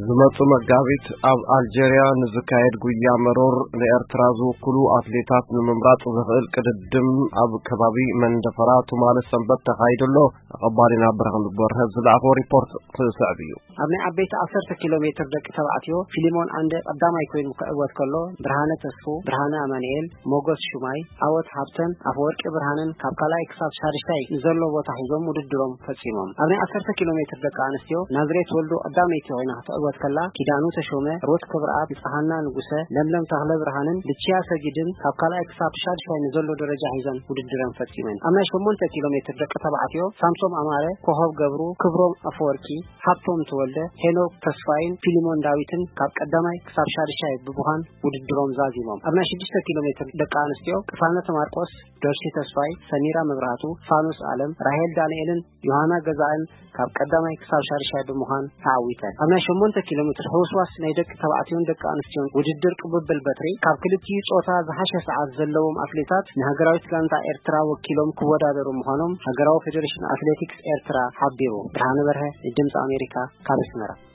ዝመጹ መጋቢት ኣብ ኣልጀርያ ንዝካየድ ጉያ መሮር ንኤርትራ ዝውክሉ ኣትሌታት ንምምራጽ ዘኽእል ቅድድም ኣብ ከባቢ መንደፈራ ትማሊ ሰንበት ተኻይዱ ኣሎ። ኣቐባሊና ብርሃን በርሀ ዝለኣኾ ሪፖርት ክስዕብ እዩ። ኣብ ናይ ዓበይቲ ዓሰርተ ኪሎ ሜትር ደቂ ተባዕትዮ ፊሊሞን ኣንደ ቀዳማይ ኮይኑ ክዕወት ከሎ፣ ብርሃነ ተስፉ፣ ብርሃነ ኣማኑኤል፣ ሞጎስ ሹማይ፣ ዓወት ሃብተን፣ ኣፈወርቂ ብርሃንን ካብ ካልኣይ ክሳብ ሳድሻይ ንዘሎ ቦታ ሒዞም ውድድሮም ፈጺሞም። ኣብ ናይ ዓሰርተ ኪሎ ሜትር ደቂ ኣንስትዮ ናዝሬት ወልዱ ቀዳመይቲ ኮይና ክትዕወት ከላ፣ ኪዳኑ ተሾመ፣ ሩት ክብረኣብ፣ ንጽሃና ንጉሰ፣ ለምለም ተኽለ ብርሃንን ልችያ ሰጊድን ካብ ካልኣይ ክሳብ ሻድሻይ ንዘሎ ደረጃ ሒዘን ውድድረን ፈጺመን። ኣብ ናይ ሸሞንተ ኪሎ ሜትር ደቂ ተባዕትዮ ሳምሶም ኣማረ፣ ኮኸብ ገብሩ፣ ክብሮም ኣፈወርቂ፣ ሃብቶም ተወልደ፣ ሄኖክ ተስፋይን ፊሊሞን ዳዊትን ካብ ቀዳማይ ክሳብ ሻድሻይ ብምዃን ውድድሮም ዛዚሞም። ኣብ ናይ ሽዱሽተ ኪሎ ሜትር ደቂ ኣንስትዮ ቅሳነት ማርቆስ፣ ዶርሲ ተስፋይ፣ ሰሚራ መብራህቱ፣ ፋኑስ ኣለም፣ ራሄል ዳንኤልን ዮሃና ገዛእን ካብ ቀዳማይ ክሳብ ሻድሻይ ብምዃን ተዓዊተን። ኣብ ናይ ሸሞንተ ኪሎ ሜትር ሕውስዋስ ናይ ደቂ ተባዕትዮን ደቂ ኣንስትዮን ውድድር ቅብብል በትሪ ካብ ክልቲኡ ጾታ ዝሓሸ ሰዓት ዘለዎም ኣትሌታት ንሃገራዊት ጋንታ ኤርትራ ወኪሎም ክወዳደሩ ምዃኖም ሃገራዊ ፌዴሬሽን ኣትሌቲክስ ኤርትራ ሓቢሩ። ብርሃነ በርሀ ንድምፂ ኣሜሪካ ካብ ኣስመራ።